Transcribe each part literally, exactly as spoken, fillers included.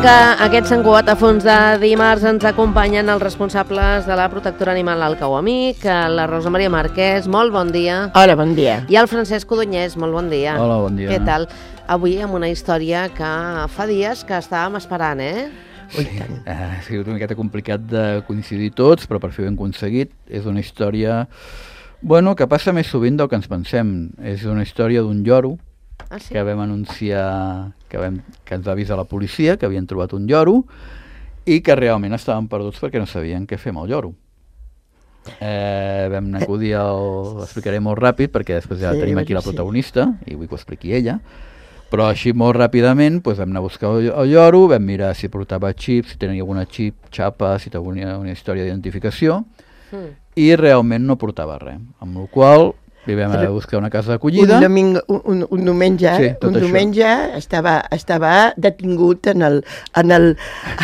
que aquest Sant Cugat a fons de dimarts ens acompanyen els responsables de la protectora animal al Cau Amic, la Rosa Maria Marquès, molt bon dia. Hola, bon dia. I el Francesc Codonyès, molt bon dia. Hola, bon dia. Què tal? Avui amb una història que fa dies que estàvem esperant, eh? Sí, ha sigut una miqueta complicat de coincidir tots, però per fi ho hem aconseguit. És una història, bueno, que passa més sovint del que ens pensem. És una història d'un lloro, Ah, sí? que vam anunciar, que, vam, que ens va avisar la policia, que havien trobat un lloro i que realment estaven perduts perquè no sabien què fer amb el lloro. Eh, vam acudir al... Ho explicaré molt ràpid perquè després ja Sí, tenim aquí la sí. protagonista i vull que ho expliqui ella, però així molt ràpidament doncs, vam anar a buscar el, el lloro, vam mirar si portava xip, si tenia alguna xip, xapa, si tenia una història d'identificació Mm. i realment no portava res, amb la qual cosa li vam anar a buscar una casa d'acollida. Un, domingo, un, un, un diumenge, Sí, tot un això. diumenge estava, estava detingut en el, en, el,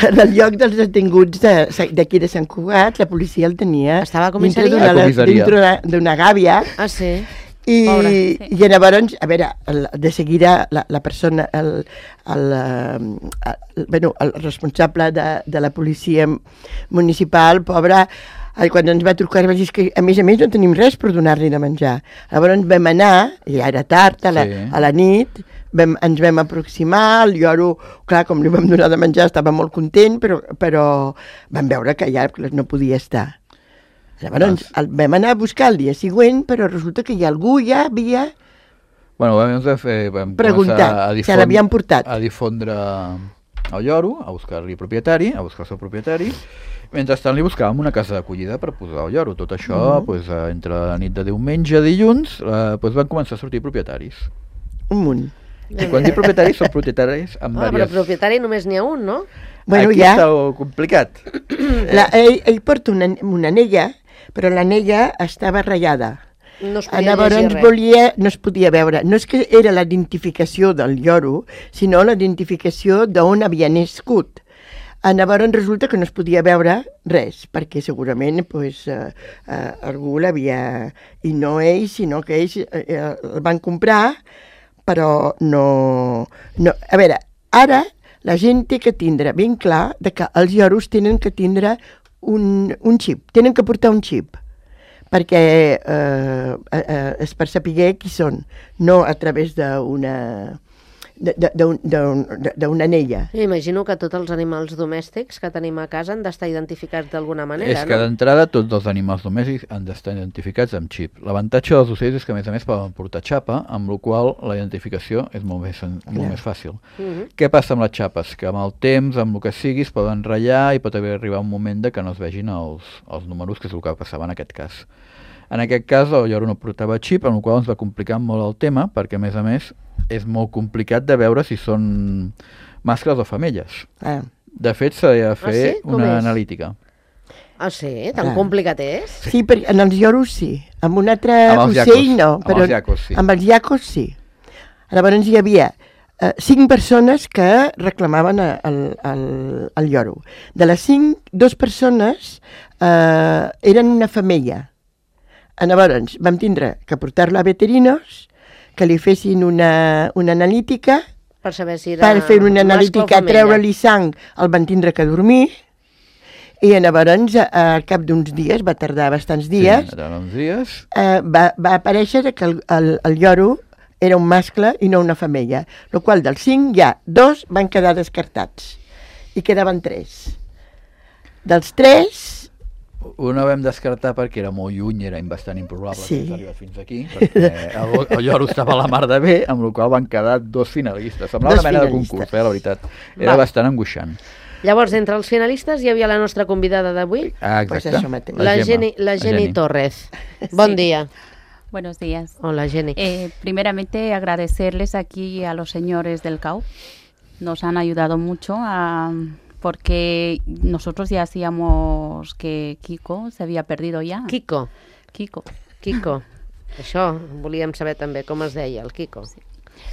en el lloc dels detinguts de- d'aquí de, de Sant Cugat. La policia el tenia Estava a dintre comissaria? d'una A comissaria. dintre d'una gàbia. Ah, sí? I, Pobre, sí. i llavors, a veure, el, de seguida la, la persona, el, el, eh, el, bueno, el responsable de, de la policia municipal, pobre, eh, quan ens va trucar va dir que a més a més no tenim res per donar-li de menjar. Llavors vam anar, i ja era tard, a la, Sí. a la nit, vam, ens vam aproximar, el lloro, clar, com li vam donar de menjar estava molt content, però, però vam veure que ja no podia estar. Llavors el vam anar a buscar el dia següent, però resulta que ja algú ja havia... Bueno, vam, fer, vam Preguntar començar a, si difon- l'havien portat. a difondre el lloro, a buscar-li propietari, a buscar el seu propietari. Mentrestant li buscàvem una casa d'acollida per posar el lloro. Tot això, Mhm. mm. pues, eh, entre la nit de diumenge a dilluns, eh, pues, van començar a sortir propietaris. Un munt. I quan dic propietaris, són propietaris amb Ah, però diverses... propietari només n'hi ha un, no? Bueno, Aquí ja, està el complicat. la, ell, ell porta una, una anella, però l'anella estava ratllada. No es Ah, podia Llavors llegir res. volia, no es podia veure. No és que era la identificació del lloro, sinó la identificació d'on havia nascut. Ah, Llavors resulta que no es podia veure res, perquè segurament pues, eh, eh, algú l'havia... I no ells, sinó que ells eh, eh, el van comprar, però no, no... A veure, ara la gent té que tindre ben clar de que els lloros tenen que tindre un, un xip, tenen que portar un xip, perquè eh, eh, és per saber qui són, no a través d'una de- de- d'un- d'un- d'una anella. Jo imagino que tots els animals domèstics que tenim a casa han d'estar identificats d'alguna manera, És que no? d'entrada tots els animals domèstics han d'estar identificats amb xip. L'avantatge dels ocells és que a més a més poden portar xapa, amb la qual la identificació és molt més, sen- molt Clar. més fàcil. Mhm. Què passa amb les xapes? Que amb el temps, amb el que sigui, es poden ratllar i pot haver arribar un moment de que no es vegin els, els números, que és el que passava en aquest cas. En aquest cas, el lloro no portava xip, amb la qual cosa ens va complicar molt el tema, perquè a més a més és molt complicat de veure si són mascles o femelles. Ah, De fet, s'ha de fer sí? Com una és? analítica. Ah, sí? Tan Clar. complicat és? sí, perquè en els lloros sí, amb un altre Amb els ocell iacos, no, amb però els iacos sí. amb els iacos sí. Llavors hi havia eh, cinc persones que reclamaven a- el, el, el lloro. De les cinc, dues persones eh, eren una femella. Llavors vam tindre que portar-la a veterinos, que li fessin una, una analítica, Per saber si era per fer una mascle o analítica, femella. treure-li sang, el van tindre que dormir, i llavors, a- al cap d'uns dies, va tardar bastants dies, Sí, durant uns dies. eh, va, va aparèixer que el, el, el lloro era un mascle i no una femella, el qual dels cinc ja dos van quedar descartats i quedaven tres. Dels tres, Una vam descartar perquè era molt lluny, era bastant improbable Sí. que ens arribés fins aquí, perquè el, el lloro estava a la mar de bé, amb la qual van quedar dos finalistes. Semblava Dos una mena de finalistes. concurs, eh, la veritat. Era Va. bastant angoixant. Llavors, entre els finalistes hi havia la nostra convidada d'avui, Ah, Pues exacte. això mateix. la, Gemma, Geni, la Geni Geni. Torres. Bon Sí. dia. Buenos días. Hola, Geni. Eh, primeramente agradecerles aquí a los señores del C A U. Nos han ayudado mucho a- porque nosotros ya hacíamos que Kiko se había perdido ya. Kiko. Kiko. Kiko. Això volíem saber també com es deia, el Kiko.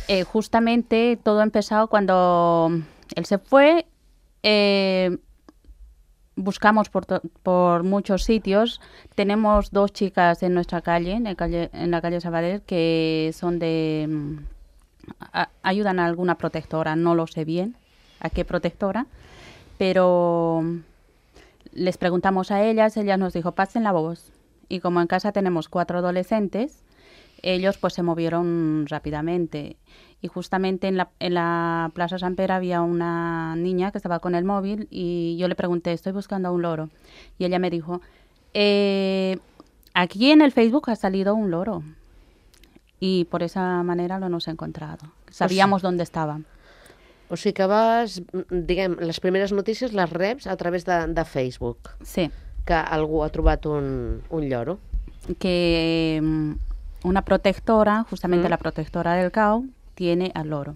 Eh, justamente todo ha empezado cuando él se fue. eh, buscamos por, to- por muchos sitios. Tenemos dos chicas en nuestra calle, en, el calle, en la calle Sabadell, que son de... mm, a- ayudan a alguna protectora, no lo sé bien a qué protectora. pero les preguntamos a ellas, ellas nos dijo, pasen la voz. Y como en casa tenemos cuatro adolescentes, ellos pues se movieron rápidamente. Y justamente en la, en la Plaza San Pere había una niña que estaba con el móvil y yo le pregunté, estoy buscando a un loro. Y ella me dijo, eh, aquí en el Facebook ha salido un loro. Y por esa manera lo hemos encontrado. Sabíamos dónde estaba. O sigui que vas, diguem, les primeres notícies les reps a través de, de Facebook. Sí. Que algú ha trobat un, un lloro. Que um, una protectora, justamente Mm. la protectora del C A U, tiene al loro.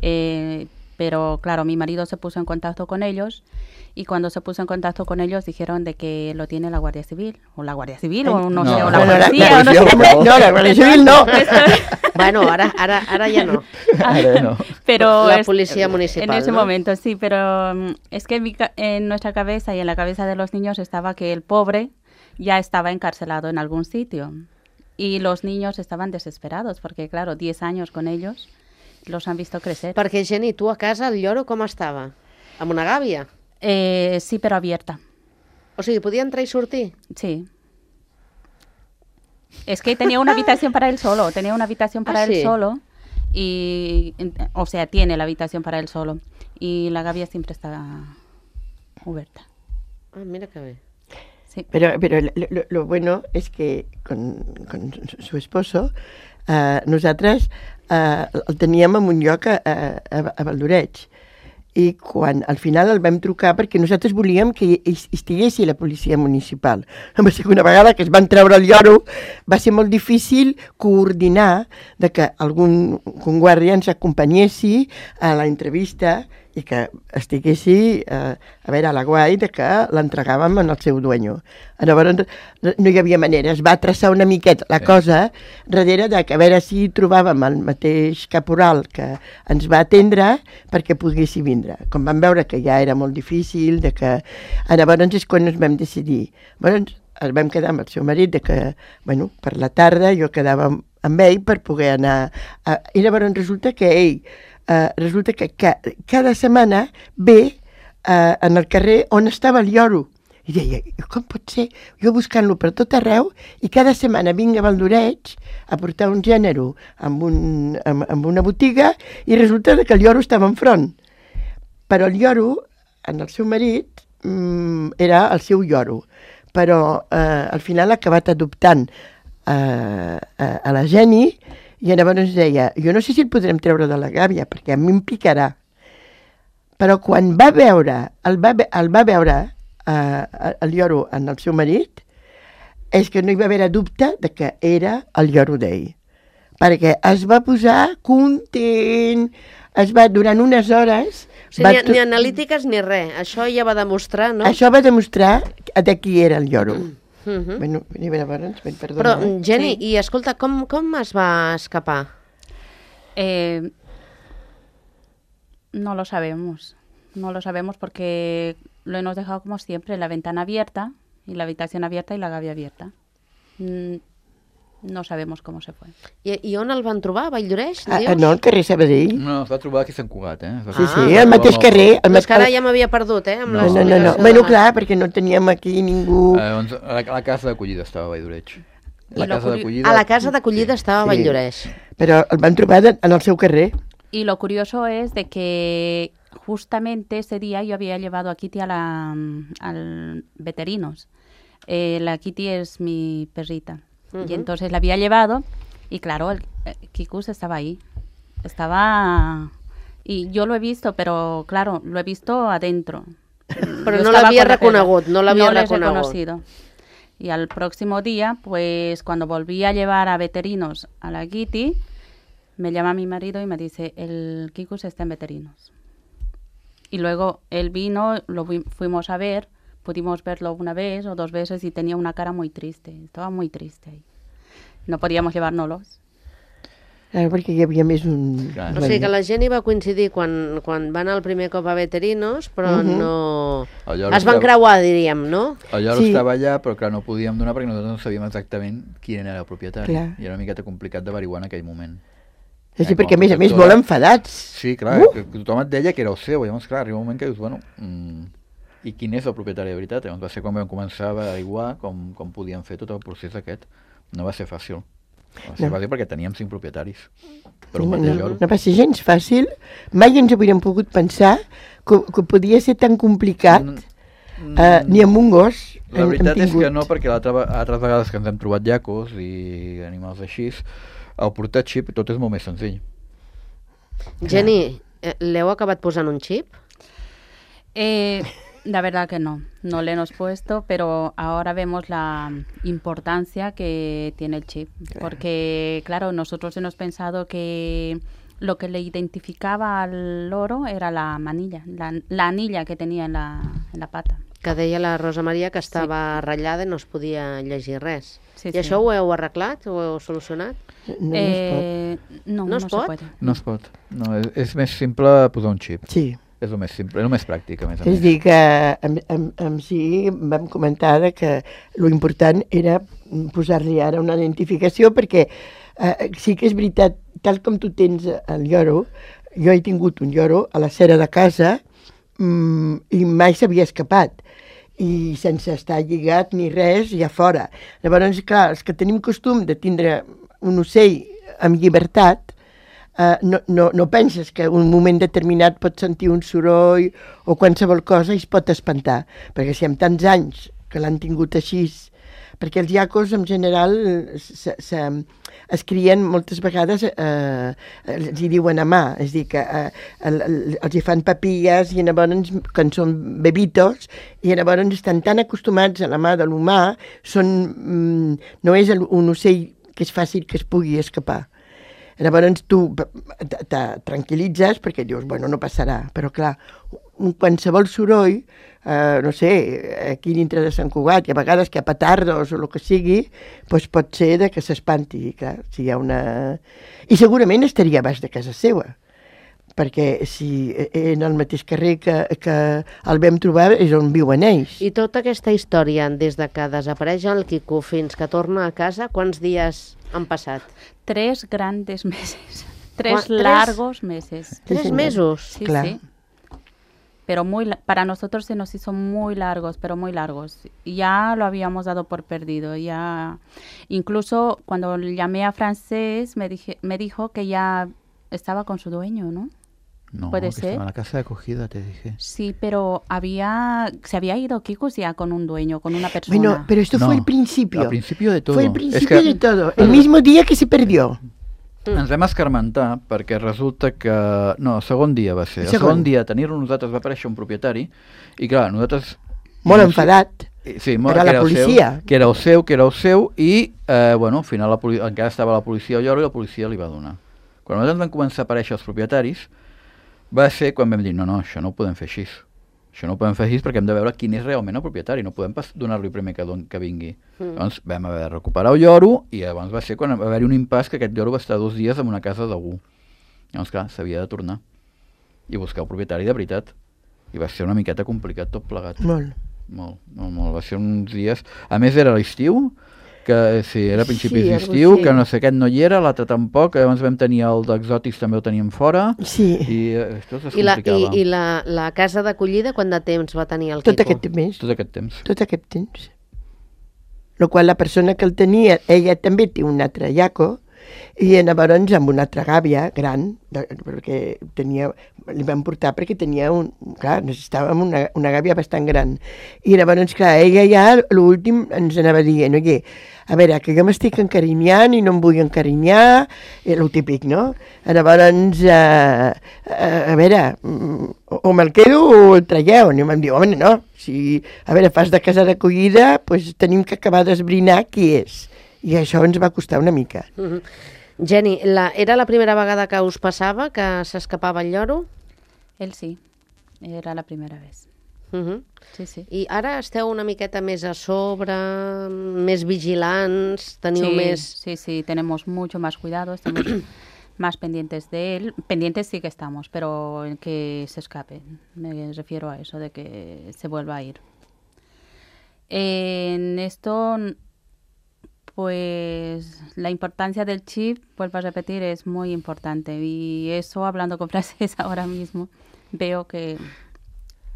Eh, pero claro, mi marido se puso en contacto con ellos y cuando se puso en contacto con ellos dijeron de que lo tiene la Guardia Civil, o la Guardia Civil, o no, No, sé, o la no, la- policía, la o no sé. policía, no, la Guardia Civil no. Bueno, ara, ara, ara ja no. Ara no. Pero La es- policía municipal, en ese ¿no? momento sí, pero mm, es que en, mi ca- en nuestra cabeza y en la cabeza de los niños estaba que el pobre ya estaba encarcelado en algún sitio y los niños estaban desesperados porque claro, diez años con ellos los han visto crecer. Perquè, Jenny, tu a casa el lloro com estava? Amb una gàbia? Eh, sí, pero abierta, O sigui, podia entrar i sortir? sí. Es que tenía una habitación para él solo, tenía una habitación para Ah, él sí. solo y, o sea, tiene la habitación para él solo y la gavia siempre está abierta. Ah, mira que bé. Sí. Pero, pero lo, lo- lo bueno es que con, con su- su esposo, eh, nosaltres eh, el teníem en un lloc a, a, a Valdoreig. I quan al final el vam trucar perquè nosaltres volíem que hi, hi estiguessi la policia municipal. La segona vegada que es van treure el lloro va ser molt difícil coordinar de que algun, algun guàrdia ens acompanyessi a la entrevista i que estiguessi, eh, a veure, a la guai de que l'entregàvem en el seu dueño. Llavors no hi havia manera, es va traçar una miqueta la Sí. cosa darrere de que a veure si trobàvem el mateix caporal que ens va atendre perquè poguessi vindre. Com vam veure que ja era molt difícil, de que... Llavors és quan ens vam decidir. Llavors el vam quedar amb el seu marit, de que, bueno, per la tarda jo quedava amb, amb ell per poder anar... A... I llavors resulta que ell, eh, resulta que ca, cada setmana ve eh, en el carrer on estava el lloro. I deia, com pot ser? Jo buscant-lo per tot arreu i cada setmana vinc a Valdoreig a portar un gènere amb, un, amb, amb una botiga i resulta que el lloro estava enfront. Però el lloro, en el seu marit, mmm, era el seu lloro. Però eh, al final ha acabat adoptant eh, a, a la Jenny i llavors ens deia, jo no sé si el podrem treure de la gàbia perquè a mi em picarà. Però quan va veure, el va, ve- el va veure eh, el lloro en el seu marit, és que no hi va haver dubte de que era el lloro d'ell. Perquè es va posar content, es va, durant unes hores... O sigui, va ni, to- ni analítiques ni res. Això ja va demostrar, no? Això va demostrar de qui era el lloro. Mhm. Bueno, i llavors, ben perdona. Però, eh? Jenny, Sí. i escolta, com, com es va escapar? Eh, no lo sabemos, no lo sabemos porque lo hemos dejado como siempre, la ventana abierta y la habitación abierta y la gavia abierta. Mm, no sabemos cómo se fue. I, i on el van trobar? A Valldoreix, Ah, dius? ah, no, al carrer Sabadell. No, es va trobar aquí a Sant Cugat, eh? Es va Sí, Ah, sí, trobar al mateix amb el- carrer. Al No, és que ara mat- ja m'havia perdut, eh? Amb No, No, no, no, no. l'explicació Bueno, de- clar, perquè no teníem aquí ningú... Eh, doncs, a, la, a la casa d'acollida estava a Valldoreig. La I lo casa curi- d'acollida... A la casa d'acollida estava a Sí. Valldoreix. Però el van trobar de- en el seu carrer. Y lo curioso es de que justamente ese día yo había llevado a Kitty a la, al veterinos. Eh, la Kitty es mi perrita. Ujú. Y entonces la había llevado y claro, el, eh, Kikus estaba ahí. Estaba... Y yo lo he visto, pero claro, lo he visto adentro. Però Yo no estaba l'havia con la perra. reconegut, no l'havia No l'he reconegut. reconocido. Y al próximo día, pues cuando volví a llevar a veterinos a la Kitty, me llama mi marido y me dice, el Kikus está en veterinos. Y luego él vino, lo fu- fuimos a ver, pudimos verlo una vez o dos veces y tenía una cara muy triste, estaba muy triste ahí. No podíamos llevárnoslos. Clar, perquè hi havia més un... Clar. O sigui que la Jenny va coincidir quan, quan va anar el primer cop a Veterinos, però Mhm. no... El lloro Es van estava- creuar, diríem, no? El lloro Sí. estava allà, però clar, no podíem donar perquè nosaltres no sabíem exactament quin era el propietari. Clar. I era una miqueta complicat d'averiguar en aquell moment. És a dir, Eh, com perquè a més a més protectora. molt enfadats. Sí, clar, Uh! que, que tothom et deia que era el seu, i llavors, clar, arriba un moment que dius, bueno, mm, i quin és el propietari de veritat? Llavors va ser quan vam començar a averiguar com, com podíem fer tot el procés aquest. No va ser fàcil. No va ser No. fàcil perquè teníem cinc propietaris per un No, mateix no, lloro. no va ser gens fàcil. Mai ens hauríem pogut pensar que, que podia ser tan complicat, Mm, uh, ni amb un gos La hem, veritat hem és tingut. que no, perquè l'altra ve- altres vegades que ens hem trobat llacos i animals així, el portar xip tot és molt més senzill. Jenny, eh, l'heu acabat posant un xip? Eh, la verdad que no, no le hemos puesto, pero ahora vemos la importancia que tiene el chip. Porque, claro, nosotros hemos pensado que lo que le identificaba al loro era la manilla, la, la anilla que tenía en la, en la pata. Que deia la Rosa Maria que estava ratllada i no es podia llegir res. Sí, I sí. això ho heu arreglat? Ho heu solucionat? No, no es Eh, no, ¿No no, es se pot? puede. No es pot. No, és, és més simple posar un xip. pot. Sí. És el més simple, és el més pràctic, a més a És més. dir, que amb, amb, amb si vam comentar de que lo important era posar-li ara una identificació, perquè eh, sí que és veritat, tal com tu tens el lloro, jo he tingut un lloro a la cera de casa mm, i mai s'havia escapat, i sense estar lligat ni res, ja fora. Llavors, clar, els que tenim costum de tindre un ocell amb llibertat, Uh, no, no, no penses que un moment determinat pots sentir un soroll o qualsevol cosa i es pot espantar, perquè si amb tants anys que l'han tingut així, perquè els llacos en general se, se, es crien moltes vegades, eh, els hi diuen a mà, és a dir, que eh, el, el, els hi fan papilles i llavors, quan són bebitos, i llavors estan tan acostumats a la mà de l'humà, són, mm, no és el, un ocell que és fàcil que es pugui escapar. Llavors tu te, te tranquil·litzes perquè dius, bueno, no passarà, però clar, un qualsevol soroll, eh, no sé, aquí dintre de Sant Cugat, i a vegades que a petardos o el que sigui, doncs pot ser de que s'espanti, clar, si hi ha una... I segurament estaria a baix de casa seva, perquè si en el mateix carrer que, que el vam trobar és on viuen ells. I tota aquesta història, des de que desapareix el Quico fins que torna a casa, quants dies han passat? Tres grandes meses, tres ¿Cuá- tres? largos meses. Tres señor. mesos? Sí, Claro. sí. Pero muy, la- para nosotros se nos hizo muy largos, pero muy largos. Ya lo habíamos dado por perdido. Ya, incluso cuando llamé a Francés me, dije, me dijo que ya estaba con su dueño, ¿no? No, ¿Puede que ser? estaba en la casa de acogida, te dije. Sí, pero había, se había ido Kikus ya con un dueño, con una persona. Bueno, pero esto No, fue el principio. Al principio de todo. Fue el És principio que de todo. El mismo día que se perdió. ens vam escarmentar perquè resulta que... No, el segon dia va ser. El Segon. segon dia, tenir-lo nosaltres, va aparèixer un propietari i clar, nosaltres... Molt no sé- enfadat. Sí, molt, Era que la el policia. Seu, que era el seu, que era el seu, i, eh, bueno, al final la poli encara estava la policia al lloro i la policia li va donar. Quan nosaltres van començar a aparèixer els propietaris, va ser quan vam dir, no, no, això no ho podem fer així. Això no ho podem fer així perquè hem de veure quin és realment el propietari, no podem pas donar-li primer que, don que vingui. Mm. Llavors vam haver de recuperar el lloro i llavors va ser quan va haver-hi un impàs que aquest lloro va estar dos dies en una casa d'algú. Llavors, clar, s'havia de tornar i buscar el propietari de veritat. I va ser una miqueta complicat tot plegat. Molt. Molt, molt, molt. Va ser uns dies... A més, era l'estiu, que sí, era a principis Sí, d'estiu, algo així. que no sé, aquest no hi era, l'altre tampoc, llavors vam tenir el d'exòtics, també el teníem fora, Sí, i eh, això es I la, complicava. i, i la, la casa d'acollida, quant de temps va tenir el Quico? tot aquest mes. Tot aquest temps. Tot aquest temps. Lo qual la persona que el tenia, ella també té un altre llaco, i llavors amb una altra gàbia gran, de, perquè tenia, li vam portar perquè tenia un, clar, necessitàvem una, una gàbia bastant gran. I llavors, clar, ella ja, l'últim, ens anava dient, oye, a veure, que jo m'estic encarinyant i no em vull encarinyar, i el típic, no? Llavors, eh, eh, a veure, mm, o, o me'l quedo o el traieu. I vam dir, home, no, si, a veure, fas de casa d'acollida, doncs tenim que acabar d'esbrinar qui és. I això ens va costar una mica. Mhm. Jenny, la, era la primera vegada que us passava que s'escapava el lloro? Él sí, era la primera vez. Mhm. Sí, sí. I ara esteu una miqueta més a sobre, més vigilants, teniu Sí, més... sí, sí, tenemos mucho más cuidado, estamos más pendientes de él. Pendientes sí que estamos, pero en que se escape. Me refiero a eso, de que se vuelva a ir. En esto, pues la importancia del chip, vuelvo a repetir, es muy importante. Y eso, hablando con frases ahora mismo, veo que és,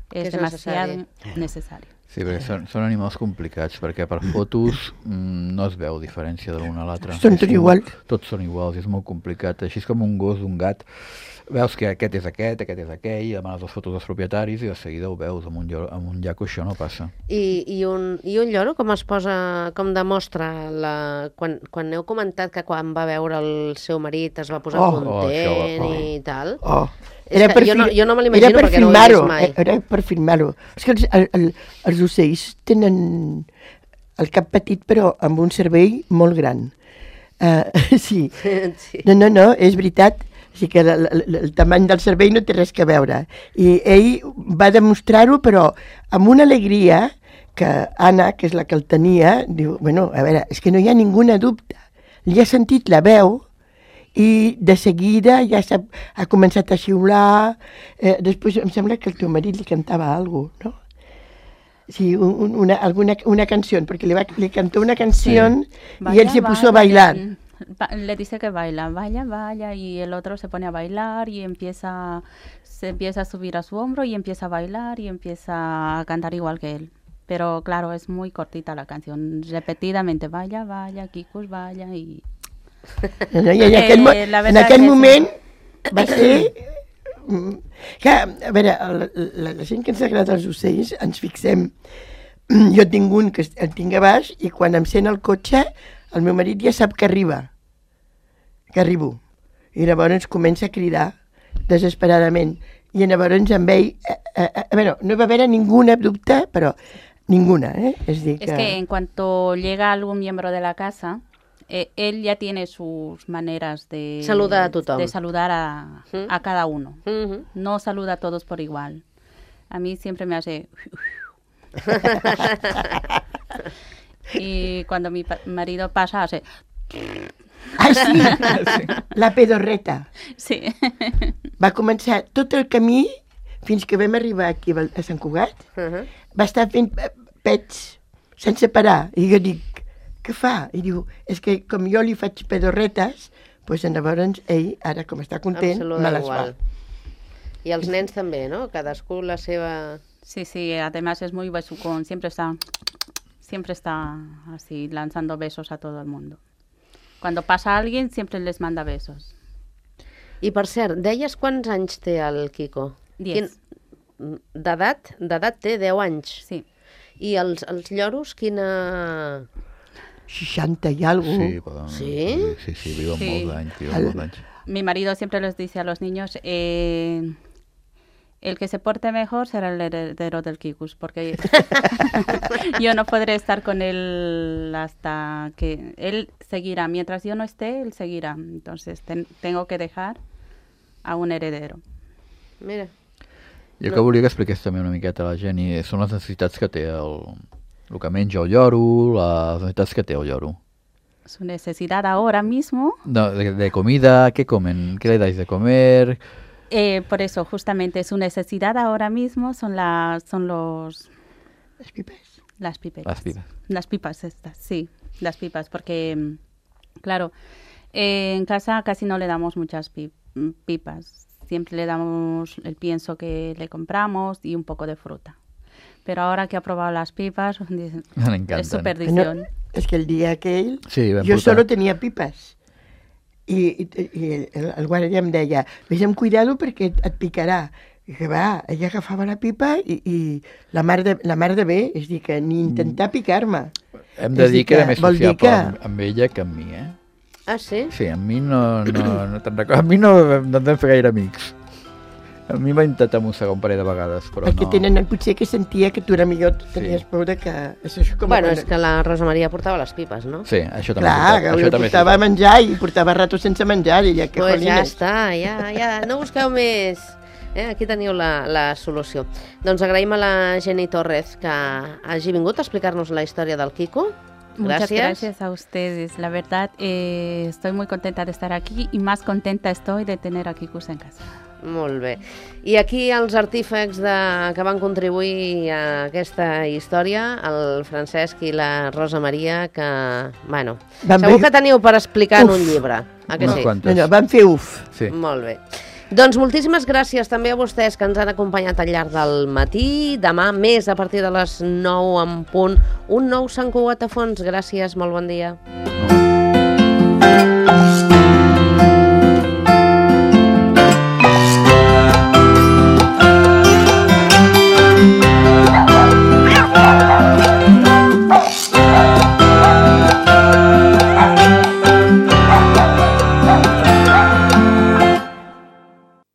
Que és demasiado necessari. necessari. Sí, perquè són, són animals complicats, perquè per fotos mm, no es veu diferència de l'un a l'altre. Són És tots com- iguals. Tots són iguals, és molt complicat. Així és com un gos, un gat. Veus que aquest és aquest, aquest és aquell, demanes les fotos dels propietaris i de seguida ho veus. Amb un, lloro, amb un llaco això no passa. I, i, un, I un lloro com es posa, com demostra, la, quan, quan heu comentat que quan va veure el seu marit es va posar Oh. content Oh, això va- oh. i tal? Oh. És que jo no- fi- jo no me l'imagino era per perquè no ho he filmar-ho, vist mai. Era per filmar-ho. És que els, el, el, els ocells tenen el cap petit però amb un cervell molt gran. Uh, sí. Sí. No, no, no, és veritat. O sigui que el, el, el tamany del cervell no té res que veure. I ell va demostrar-ho, però amb una alegria que Anna, que és la que el tenia, diu, bueno, a veure, és que no hi ha ninguna dubte. Li ha sentit la veu i de seguida ja s'ha, ha començat a xiular. Eh, després em sembla que el teu marit li cantava alguna cosa, no? Sí, un, una, alguna, una canció, perquè li, va, li cantó una canció sí. y él se puso a bailar. Ba- Le dice que baila, vaya, vaya, y el otro se pone a bailar y empieza, se empieza a subir a su hombro y empieza a bailar y empieza a cantar igual que él. Pero claro, es muy cortita la canción, repetidamente, vaya, vaya, Kikus, vaya, y... No, i en aquell, mo- Eh, la en veritat aquell que sí. moment va ser... mm, Que, a veure, la, la, la gent que ens agrada els ocells ens fixem. Jo tinc un que el tinc a baix i quan em sent el cotxe el meu marit ja sap que arriba, que arribo. I llavors comença a cridar desesperadament. I llavors amb ell, eh, eh, a veure, no va haver ninguna dubte, però ninguna, eh? És dir Es que en cuanto llega algún miembro de la casa, eh, él ya tiene sus maneras de... Saluda a tothom. De saludar a, ¿Mm? a cada uno. Mhm. No saluda a todos por igual. A mí siempre me hace... y cuando mi pa- marido pasa, hace... Ah, sí, la pedorreta. Sí. Va començar tot el camí fins que vam arribar aquí a Val- a Sant Cugat, Mhm. va estar fent eh, pets sense parar. I jo dic, què fa? I diu, és que com jo li faig pedorretes, doncs llavors ell, ara com està Em content, saluda me les igual. fa. I els nens també, no? Cadascú la seva... Sí, sí, además es muy besucón. Siempre está... Siempre está así, lanzando besos a todo el mundo. Cuando pasa alguien, siempre les manda besos. I per cert, deies quants anys té el Kiko? Diez. Quin- D'edat? D'edat té deu anys. Sí. I els, els lloros, quina... seixanta i alguna Sí, cosa. poden, Sí? sí, sí, viuen Sí. molts anys, viuen El- molts anys. Mi marido siempre les dice a los niños, eh, el que se porte mejor será el heredero del Kikus, porque yo no podré estar con él hasta que él seguirá. Mientras yo no esté, él seguirá. Entonces ten- tengo que dejar a un heredero. Mira. Jo que volia que expliqués també una miqueta a la gent i són les necessitats que té el, el que menja el lloro, les necessitats que té el lloro. Su necesidad ahora mismo, No, de, de comida, ¿qué comen? ¿Qué le dais de comer? eh, por eso justamente su necesidad ahora mismo son las son los Les pipes. las pipetas. Las pipas. Las pipas estas, sí, las pipas, porque, mm, claro, eh, en casa casi no le damos muchas pi- mm, pipas. Siempre le damos el pienso que le compramos y un poco de fruta. Pero ahora que ha probado las pipas, dice, Me encanten. es su No, perdición. és que el dia aquell Sí, vam jo portar. solo tenia pipes. I, i, i el, el guàrdia em deia, vés amb cuidado perquè et, et picarà. I que va, ella agafava la pipa i, i la, mar de, la mar de bé, és dir, que ni intentar picar-me. Hem de És dir que era que més vol dir sociable que- amb, amb ella que amb mi, eh? Ah, sí? Sí, amb mi no, no, no te'n recordo. A mi no, no em vam fer gaire amics. A mi va intentar mossegar un parell de vegades, però Perquè no. tenen, potser que sentia que tu era millor, tenies por de que... Això és com Bueno, quan- és que la Rosa Maria portava les pipes, no? Sí, això també Clar, és que veritat. jo Això també és portava veritat. menjar i portava rato sense menjar i ja que Pues ja jolines. està, ja, ja, no busqueu més. Eh? Aquí teniu la, la solució. Doncs agraïm a la Jenny Torres que hagi vingut a explicar-nos la història del Kiko. Muchas Gracias. gracias a ustedes. La verdad, eh, estoy muy contenta de estar aquí y más contenta estoy de tener a Kikus en casa. Molt bé. I aquí els artífecs de, que van contribuir a aquesta història, el Francesc i la Rosa Maria, que, bueno, Van segur fer- que teniu per explicar en Uf. un llibre. A que Unes sí? quantes. No, no, van fer uf. Sí. Molt bé. Doncs moltíssimes gràcies també a vostès que ens han acompanyat al llarg del matí. Demà, més a partir de les nou en punt, un nou Sant Cugat a fons. Gràcies, molt bon dia. No.